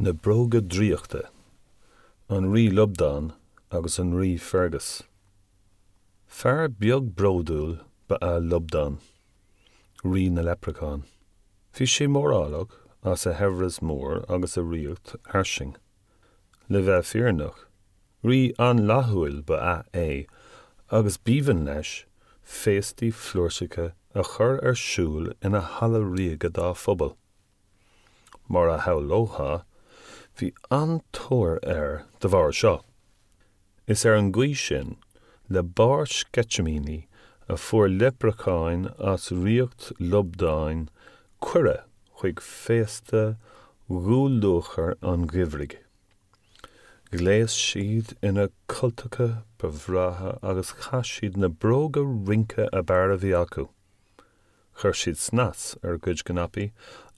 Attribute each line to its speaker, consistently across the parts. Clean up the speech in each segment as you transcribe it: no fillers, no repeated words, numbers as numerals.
Speaker 1: Na Bróga Draíochta, An Rí Lubdán agus an Rí Fergus. Fear beag bródúil ba ea Lubdán, rí na leipreachán. Bhí sé mórálach as a shaibhreas mór agus a ríocht fhairsing. Le bheith fírinneach, rí an-fhlaithiúil ba ea é agus b'aoibhinn leis féastaí flúirseacha a chur ar siúl ina halla ríoga dá phobal. Mar a shamhlófá, bhí an-tóir air de bharr seo. Is ar an gcaoi sin, le barr sceitimíní, a fuair leipreacháin as ríocht Lubdáin cuireadh chuig féasta dhúluachair an gheimhridh. Ghléas siad ina gcultacha ba bhreátha agus chaith siad na bróga rince ab fhearr a bhí acu. Chuir siad snas ar a gcuid cnaipí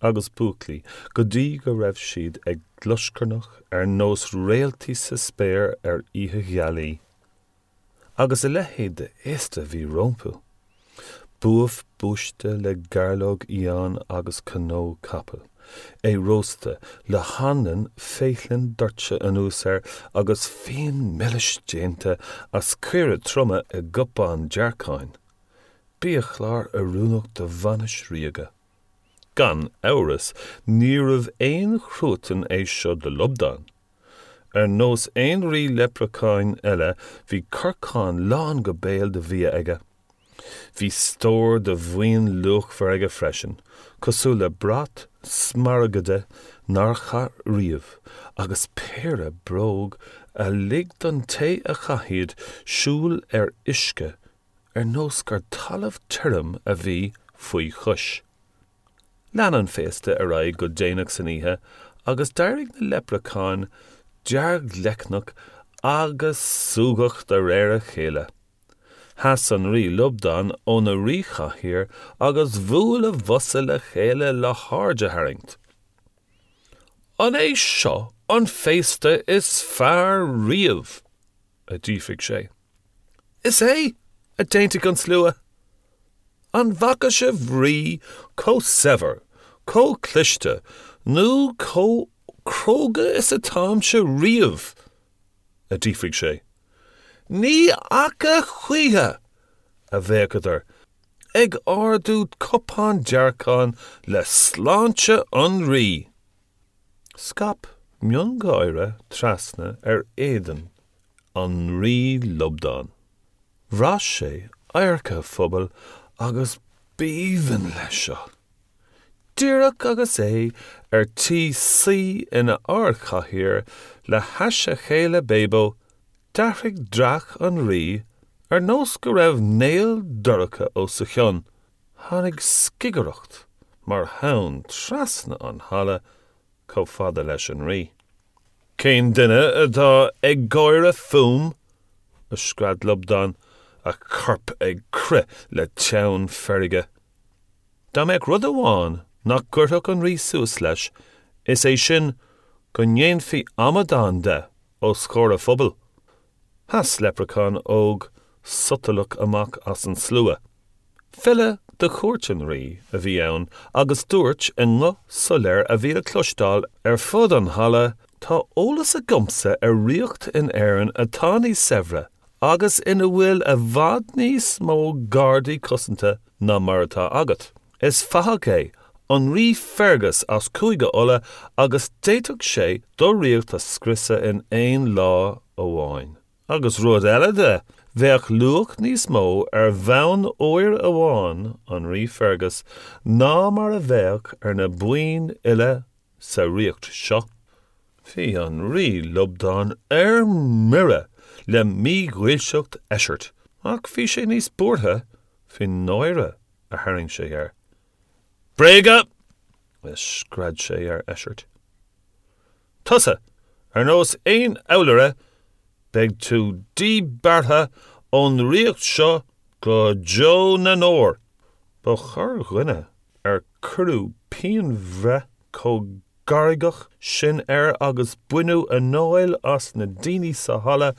Speaker 1: agus búclaí go dtí go raibh siad ag glioscarnach ar nós réaltaí sa spéir ar oíche ghealaí. Agus a leithéid de fhéasta a bhí rompu! Buaf buaiste le gairleog fhiáin agus cnó capaill, é rósta le hanlann féithlinn doirte anuas air agus fíon milis déanta as caora troma i gcupán dearcáin. Biachlár oiriúnach do bhainis ríoga. Gan amhras, níorbh aon chruatan é seo do Lubdán. Ar nós aon rí leipreacháin eile, bhí corcán lán go béal de bhia aige. Bhí stór de mhaoin luachmhar aige freisin, cosúil le brat smaragaide nár chaith riamh, agus péire bróg a lig don té a chaith iad siúl ar uisce ar nós gur talamh tirim a bhí faoi chois. Lean an féasta ar aghaidh go déanach san oíche agus d'éirigh na leipreacháin deargleicneach agus súgach de réir a chéile. Sheas an Rí Lubdán óna ríchathaoir agus bhuail a bhosa le chéile le haird a tharraingt. An é seo an féasta is fearr riamh? a d'fhiafraigh sé. Is é! a d'aontaigh an slua. An bhfaca sibh rí chomh saibhir, chomh cliste nó chomh cróga is atáimse riamh? a d'fhiafraigh sé. Ní fhaca choíche! a bhéiceadar, ag ardú cupán dearcáin le sláinte an rí. Scaip miongháire trasna ar éadan an Rí Lubdán. Bhraith sé adharca a phobail agus b'aoibhinn leis seo. Díreach agus é ar tí suí ina ardchathaoir le hais a chéile Bébó, d'athraigh dreach an Rí ar nós go raibh néal dorcha os a chionn. Tháinig scigireacht mar thonn trasna an halla chomh fada leis an Rí. Cén duine atá ag gáire fúm? a scread Lubdán, a chorp ag crith le teann feirge. Dá mbeadh rud amháin nach gcuirfeadh an Rí suas leis, is é sin go ndéanfaí amadán de os comhair a phobail. Sheas leipreachán óg sotalach amach as an slua. File de chúirt an rí a bhí ann agus dúirt i nguth soiléir a bhí le cloisteáil ar fud an halla, Tá eolas agamsa ar ríocht in Éirinn atá níos saibhre agus ina bhfuil i bhfad níos mó gardaí cosanta ná mar atá agat. Is fathach é an Rí Fergus as Cúige Uladh agus d'fhéadfadh sé do ríocht a scriosadh in aon lá amháin. Agus rud eile de, bheadh luach níos mó ar bhonn óir amháin an Rí Fergus ná mar a bheadh ar na boinn uile sa ríocht seo. Bhí an Rí Lubdán ar mire le mídhílseacht Eisirt, ach bhí sé níos buartha faoin náire a tharraing sé air. Bréaga! a scread sé ar Eisirt. Tusa, ar nós aon fheallaire, beidh tú díbeartha ón ríocht seo go deo na ndeor! Ba chorrdhuine ar cuireadh pianbhreith chomh gairgeach sin air agus baineadh anáil as na daoine sa halla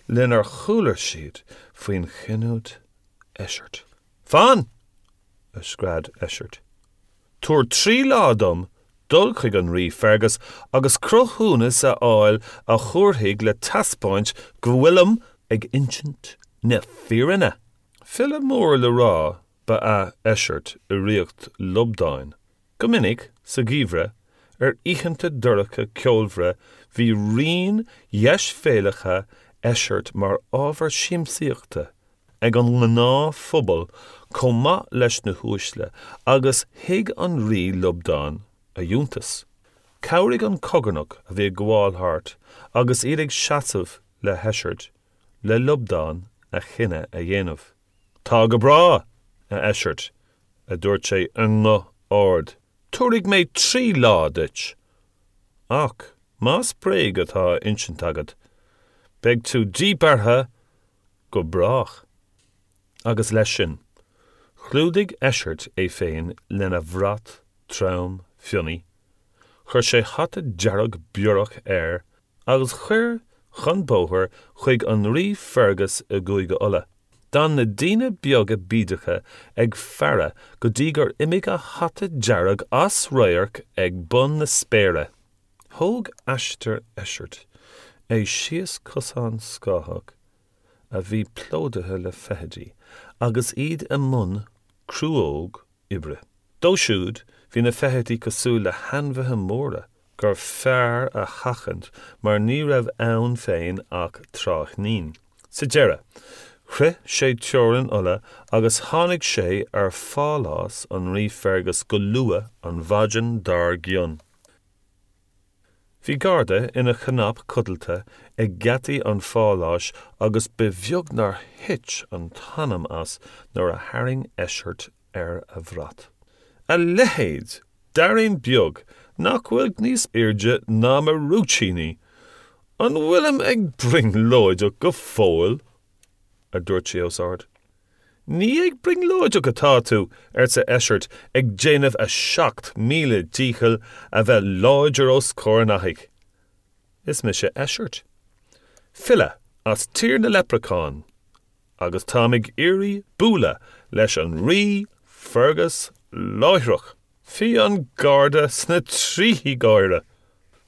Speaker 1: lenar chuala siad faoin chinniúint Eisirt. Fan! a scread Eisirt. Tabhair 3 lá dom. dul chuig an Rí Fergus agus cruthúnas a fháil a thabharfaidh le taispeáint go bhfuilim ag insint na fírinne. File mór le rá ba ea Eisirt i ríocht Lubdáin. Go minic, sa gheimhreadh, ar oícheanta dorcha ceolmhara bhí raoin dheisbhéalacha Eisirt mar ábhar siamsaíochta ag an ngnáthphobal chomh maith leis na huaisle agus thuig an Rí Lubdán a fhiúntas. Chabhraigh an cogarnach a bhí ag gabháil thart agus iad ag seasamh le hEisirt le Lubdán a chinneadh a dhéanamh. Tá go breá, a Eisirt, a dúirt sé i nguth ard, tabharfaidh mé 3 lá duit. Ach más bréag atá á insint agat, beidh tú díbeartha go brách. Agus leis sin, chlúdaigh Eisirt é féin lena bhrat trom fionnaidh, chuir sé hata dearg biorach air agus chuir chun bóthair chuig an Rí Fergus i gCúige Uladh. D'fhan na daoine beaga bídeacha ag faire go dtí gur imigh a hata dearg as radharc ag bun na spéire. Thóg aistear Eisirt é síos cosán scáthach a bhí plódaithe le feithidí agus iad i mbun cruóg oibre. Dó siúd, bhí na feithidí cosúil le hainmhithe móra gur fearr a sheachaint mar ní raibh ann féin ach tráithnín. Sa deireadh, shroich sé teorainn Uladh agus tháinig sé ar phálás an Rí Fergus go luath an mhaidin dár gcionn. Bhí garda ina chnap codlata ag geataí an pháláis agus ba bheag nár thit an t-anam as nuair a tharraing Eisirt ar a bhrat. A leithéid d'fheairín beag nach bhfuil níos airde ná mo rúitíní! An bhfuilim ag brionglóideach go fóill? a dúirt sé os ard. Ní ag brionglóideach atá tú, arsa Eisirt, ag déanamh a 7000 dícheall a bheith láidir os comhair an fhathaigh. Is mise Eisirt, file as Tír na Leipreachán, agus táim ag iarraidh bualadh leis an Rí Fergus láithreach. Bhí an garda sna trithí gáire.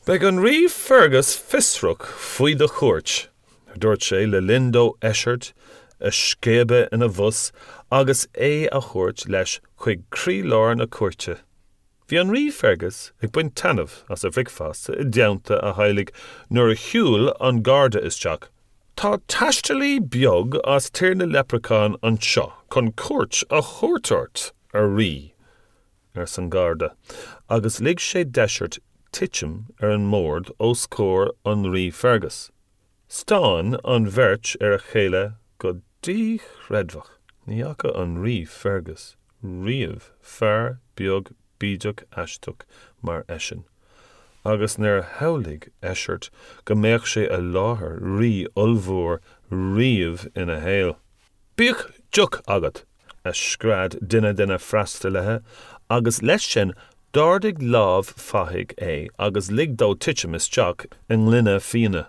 Speaker 1: Beidh an Rí Fergus fiosrach faoi do chuairt, a dúirt sé le linn dó Eisirt a scaipeadh ina bhos agus é a thabhairt leis chuig croílár na cúirte. Bhí an Rí Fergus ag baint taitneamh as a bhricfeasta i dteannta a theaghlaigh nuair a shiúil an garda isteach. Tá taistealaí beag as Tír na Leipreachán anseo chun cuairt a thabhairt ort, a Rí, arsa an garda, agus lig sé d'Eisirt titim ar an mbord os comhair an Rí Fergus. Stán an bheirt ar a chéile go díchreidmheach. Ní fhaca an Rí Fergus riamh fear beag bídeach aisteach mar eisean, agus níor shamhlaigh Eisirt go mbeadh sé i láthair rí ollmhór riamh ina shaol. Bíodh deoch agat! a scread duine de na freastalaithe, agus leis sin d'ardaigh lámh fathaigh é agus lig dó titim isteach i ngloine fíona.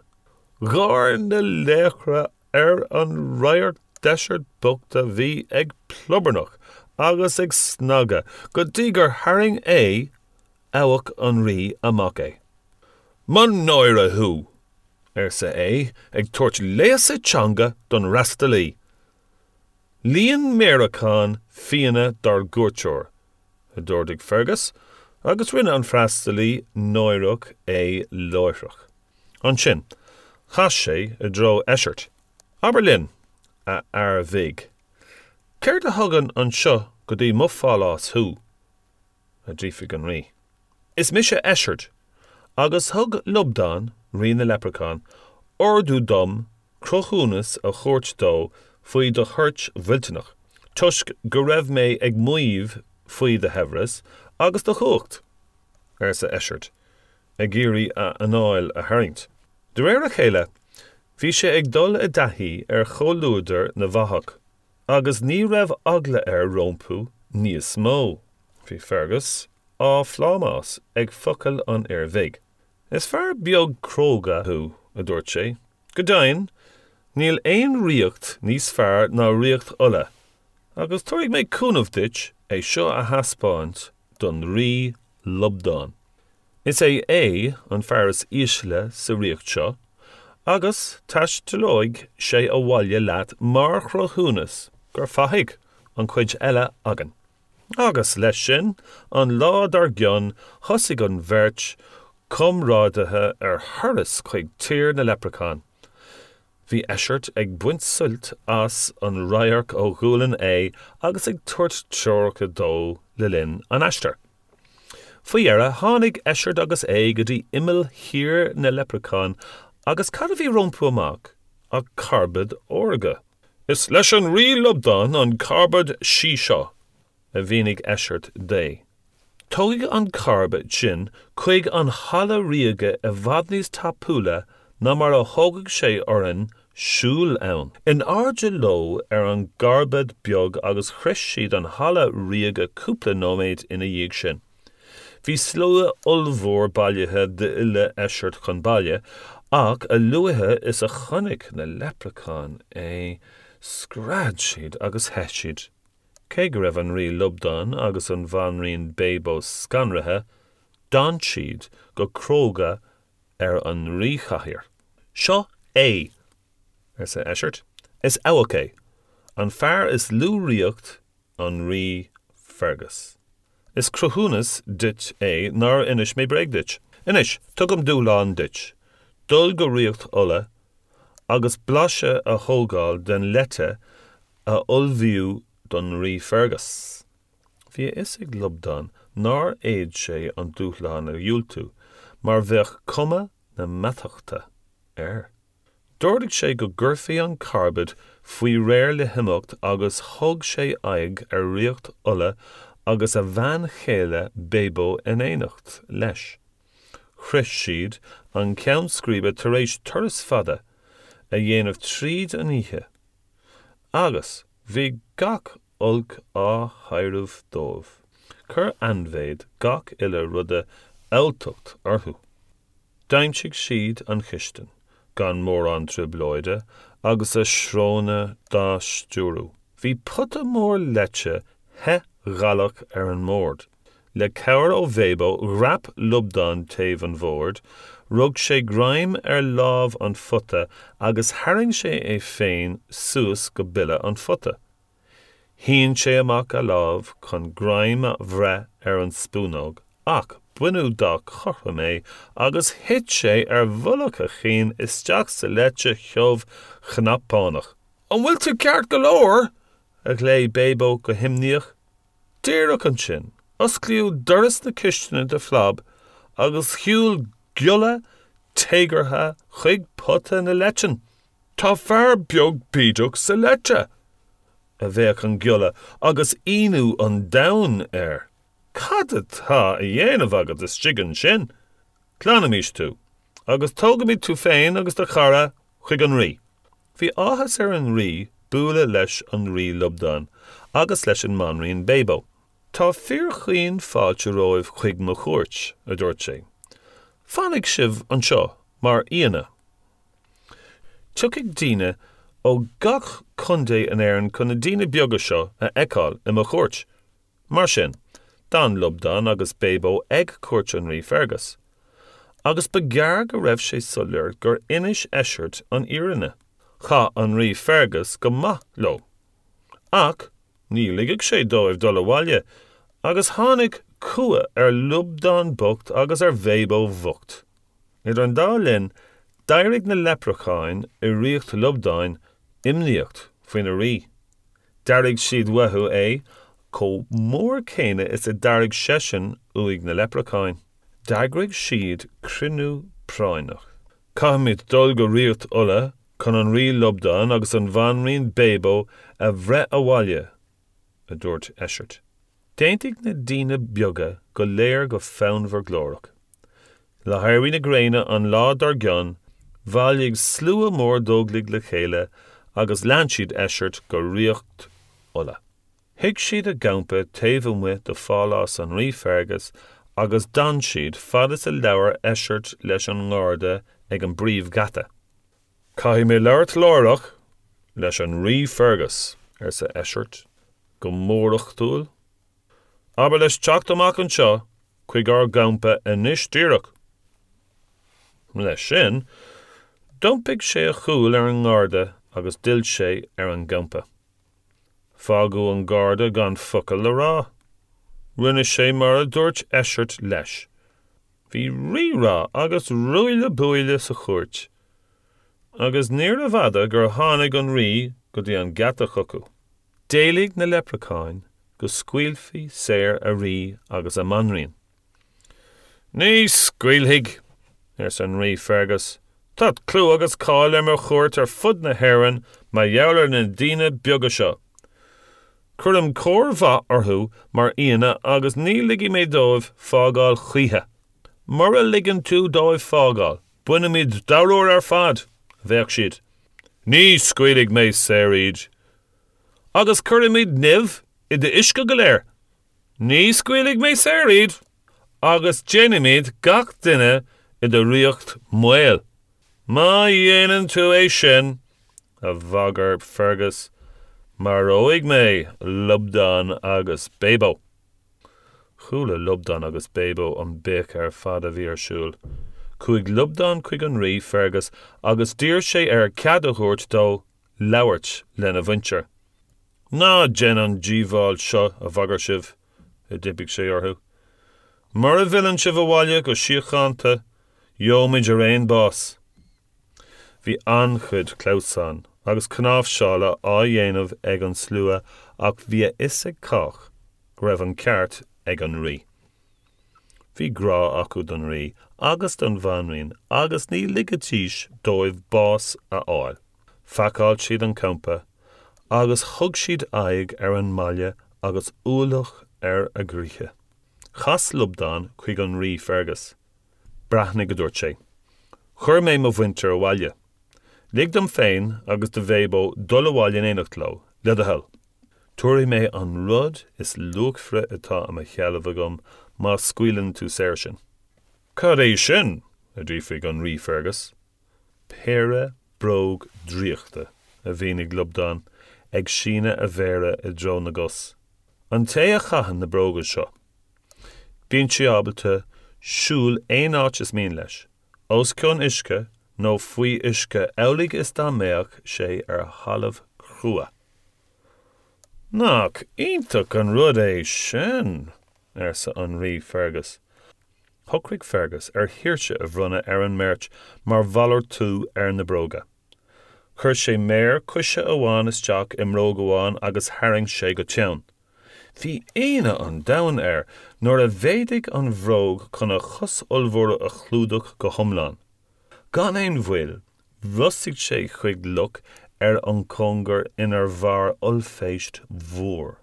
Speaker 1: Gháir na laochra ar an radharc d'Eisirt bocht a bhí ag plobarnach agus ag snagadh go dtí gur tharraing ae abhac an rí amach é. Mo náire thú! arsa é ag tabhairt léasadh teanga don fhreastalaí. Líon méaracán fíona dár gcuairteoir, a d'ordaigh Fergus, agus rinne an freastalaí náireach é láithreach. Ansin, chas sé i dtreo Eisirt. Abair linn, a fhear bhig, céard a thugann anseo go dtí mo phálás thú? a d'fhiafraigh an rí. Is mise Eisirt, agus thug Lubdán, rí na leipreachán, ordú dom cruthúnas a thabhairt dó faoi do thoirt mhillteanach, toisc go raibh mé ag maíomh faoi do shaibhreas agus do chumhacht, arsa Eisirt, ag iarraidh a anáil a tharraingt. De réir a chéile, bhí sé ag dul i dtaithí ar chomhluadar na bhfathach. Agus ní raibh eagla air rompu níos mó. Bhí Fergus á phlámás ag focail an fhir bhig. Is fear beag cróga thú, a dúirt sé. Go deimhin, níl aon ríocht níos fearr ná ríocht Uladh, agus tabharfaidh mé cúnamh duit é seo a thaispeáint don Rí Lubdán. Is é Aodh an fear is ísle sa ríocht seo, agus taistealóidh sé abhaile leat mar chruthúnas gur fathaigh an chuid eile againn. Agus leis sin, an lá dár gcionn, thosaigh an bheirt chomrádaithe ar thuras chuig tír na leipreachán. Bhí Eisirt ag baint suilt as an radharc ó ghualainn Aodha agus ag tabhairt treoracha dó le linn an aistir. Faoi dheireadh, tháinig Eisirt agus Aodh go dtí imeall thír na leipreachán agus cad a bhí rompu amach ach carbad órga. Is leis an Rí Lubdán an carbad sí seo, a mhínigh Eisirt d'Aodh. Tógfaidh an carbad sinn chuig an halla ríoga i bhfad níos tapúla ná mar a thógfadh sé orainn siúl ann. In airde leo ar an gcarbad beag agus shroich siad an halla ríoga cúpla nóiméad ina dhiaidh sin. Bhí slua ollmhór bailithe d'fhilleadh Eisirt chun baile, ach a luaithe is a chonaic na leipreacháin é, scread siad agus theith siad. Cé go raibh an Rí Lubdán agus an Bhanríon Bébó scanraithe, d'fhan siad go cróga ar an ríchathaoir. Seo Aodh, arsa Eisirt. Is abhac é. An fear is lú ríocht, an Rí Fergus. Is cruthúnas duit é nár inis mé bréag duit. Anois, tugaim dúshlán duit, dul go Ríocht Uladh agus blaiseadh a thógáil den leite a ullmhaíodh don Rí Fergus. Bhí a fhios ag Lubdán nár fhéad sé an dúshlán a dhiúltú, mar bheadh cuma na meatachta air. D'ordaigh sé go gcuirfí an carbad faoi réir le himeacht agus thug sé aghaidh ar Ríocht Uladh agus a bhean chéile Bébó in éineacht leis. Shroich siad an ceann scríbe tar éis turas fada a dhéanamh tríd an oíche agus bhí gach olc á thaidhreamh dóibh. Chuir ainmhéid gach uile ruda alltacht orthu. D'aimsigh siad an chistin, gan mórán trioblóide, agus a sróna dá stiúradh. Bhí pota mór leite the ghalach ar an mbord. Le cabhair ó Bhébó, dhreap Lubdán taobh an bhoird, rug sé greim ar lámh an phota agus tharraing sé é féin suas go bile an phota. Shín sé amach a lámh chun greim a bhreith ar an spúnóg ach baineadh dá chothrom é agus thit sé ar mhullach a chinn isteach sa leite thiubh chnapánach. An bhfuil tú ceart go leor? a ghlaoigh Bébó go himníoch. Díreach ansin, osclaíodh doras na cistine de phlab agus shiúil giolla téagartha chuig pota na leitean. Tá fear beag bídeach sa leite! a bhéic an giolla agus ionadh an domhain air. Cad atá a dhéanamh agat istigh ansin? Glanfaimid tú, agus tógfaimid tú féin agus do chara chuig an rí. Bhí áthas ar an rí bualadh leis an Rí Lubdán agus leis an mBanríon Bébó. Tá fíorchaoin fáilte romhaibh chuig mo chúirt, a dúirt sé. Fanfaidh sibh anseo mar aíonna. Tiocfaidh daoine ó gach contae in Éirinn chun na daoine beaga seo a fheiceáil i mo chúirt. Mar sin, d'fhan Lubdán agus Bébó ag cúirt an Rí Fergus. Agus ba ghearr go raibh sé soiléir gur inis Eisirt an fhírinne. Chaith an Rí Fergus go maith leo. Ach ní ligfeadh sé dóibh dul abhaile, agus tháinig cumha ar Lubdán bocht agus ar Bhébó bhocht. Idir an dá linn, d'éirigh na leipreacháin i ríocht Lubdáin imníoch faoina rí. D'airigh siad uathu é chomh mór céanna is a d'airigh seisean uaidh na leipreacháin. D'eagraigh siad cruinniú práinneach. Caithfimid dul go ríocht Uladh chun an Rí Lubdán agus an Bhanríon Bébó a bhreith abhaile, a dúirt Eisirt. D'aontaigh na daoine beaga go léir go fonnmhar glórach. Le héirí na gréine an lá dár gcionn, bhailigh slua mór d'óglaigh le chéile agus lean siad Eisirt go Ríocht Uladh. Shuigh siad a gcampa taobh amuigh de phálás an Rí Fergus agus d'fhan siad fad is a labhair Eisirt leis an ngarda ag an bpríomhgheata. Caithfidh mé labhairt láithreach leis an Rí Fergus, arsa Eisirt go mórachtúil. Abair leis teacht amach anseo. chuig ár gcampa anois díreach. Leis sin, d'iompaigh sé a chúl ar an ngarda agus d'fhill sé ar an gcampa. Fágadh an garda gan focal le rá. Rinne sé mar a dúirt Eisirt leis. Bhí rí-rá agus ruaille buaille sa chúirt, agus níorbh fhada gur tháinig an rí go dtí an geata chucu. D'éiligh na leipreacháin go scaoilfí saor a rí agus a mbanríon. Ní scaoilfidh, arsa an Rí Fergus. Tá clú agus cáil ar mo chúirt ar fud na hÉireann mar gheall ar na daoine beaga seo. Cuirim cóir mhaith orthu mar aíonna agus ní ligfidh mé dóibh fágáil choíche. Mura ligeann tú dóibh fágáil, bainfimid dáiríre ar fad, a bhéic siad. Ní scaoilfidh mé saor iad. Agus cuirfimid nimh i d'uisce go léir. Ní scaoilfidh mé saor iad, agus déanfaimid gach duine i do ríocht maol. Má dhéanann tú é sin, a bhagair Fergus, maróidh mé Lubdán agus Bébó. Chuala Lubdán agus Bébó an béic ar fad a bhí ar siúl. Chuaigh Lubdán chuig an rí, Fergus, agus d'iarr sé air cead a thabhairt dó labhairt lena mhuintir. Ná déan an díobháil seo, a bhagair sibh, a d'impigh sé orthu. Mura bhfilleann sibh abhaile go síochánta, gheobhaimid araon bás. Bhí an-chuid clamhsán agus cnáimhseála á dhéanamh ag an slua ach bhí a fhios ag cách go raibh an ceart ag an rí. Bhí grá acu don rí agus don bhanríon agus ní ligfidís dóibh bás a fháil. Phacáil siad an campa agus thug siad aghaidh ar an mbaile agus ualach ar a gcroíthe. Chas Lubdán chuig an Rí Fergus. Breathnaigh, a dúirt sé. Chuir mé mo mhuintir abhaile. Lig dom féin agus do Bhébó dul abhaile in éineacht leo, le do thoil. Tabharfaidh mé an rud is luachmhaire atá i mo sheilbh agam má scaoileann tú saor sinn. Cad é sin? a d'fhiafraigh an Rí Fergus. Péire bróg draíochta, a mhínigh Lubdán, ag síneadh a mhéire i dtreo na gcos. An té a chaitheann na bróga seo, bíonn sé ábalta siúl aon áit is mian leis, os cionn uisce nó faoi uisce amhlaidh is dá mbeadh sé ar thalamh crua. Nach iontach an rud é sin! arsa an Rí Fergus. Shocraigh Fergus ar shaoirse a bhronnadh ar an mbeirt mar mhalartú ar na bróga. Chuir sé méar coise amháin isteach i mbróg amháin agus tharraing sé go teann. Bhí ionadh an domhain air nuair a mhéadaigh an bhróg chun a chos ollmhór a chlúdach go hiomlán. Gan aon mhoill, bhrostaigh sé chuig loch ar an cóngar inar mhair ollphéist mhór.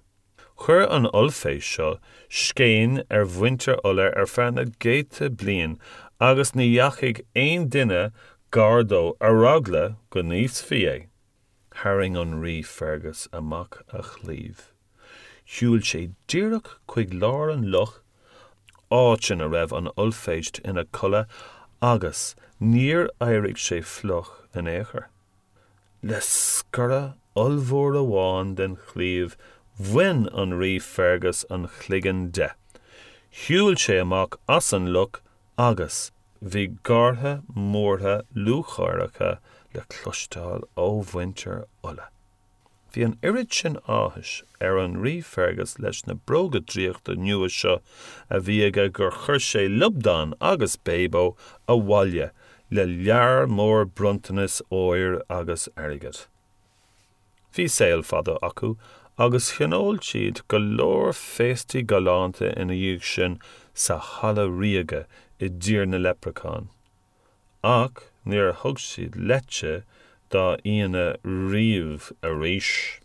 Speaker 1: Chuir an ollphéist seo scéin ar mhuintir Uladh ar feadh na gcéadta bliain agus ní dheachaigh aon duine gar dó ar eagla go n-íosfaí é. Tharraing an Rí Fergus amach a chlaíomh. Shiúil sé díreach chuig lár an loch, áit ina raibh an ollphéist ina codladh agus níor éirigh sé fliuch in aon chor. Le sciorradh ollmhór amháin den chlaíomh bhain an Rí Fergus an chloigeann de. Shiúil sé amach as an loch agus bhí gártha móra lúcháireacha le cloisteáil ó mhuintir Uladh. Bhí an oiread sin áthais ar an Rí Fergus leis na bróga draíochta nua seo a bhí aige gur chuir sé Lubdán agus Bébó abhaile le lear mór bronntanas óir agus airgid. Bhí saol fada acu agus thionóil siad go leor féastaí galánta ina dhiaidh sin sa Halla Ríoga i dTír na Leipreachán. Ach níor thug siad leite dá aíonna riamh arís.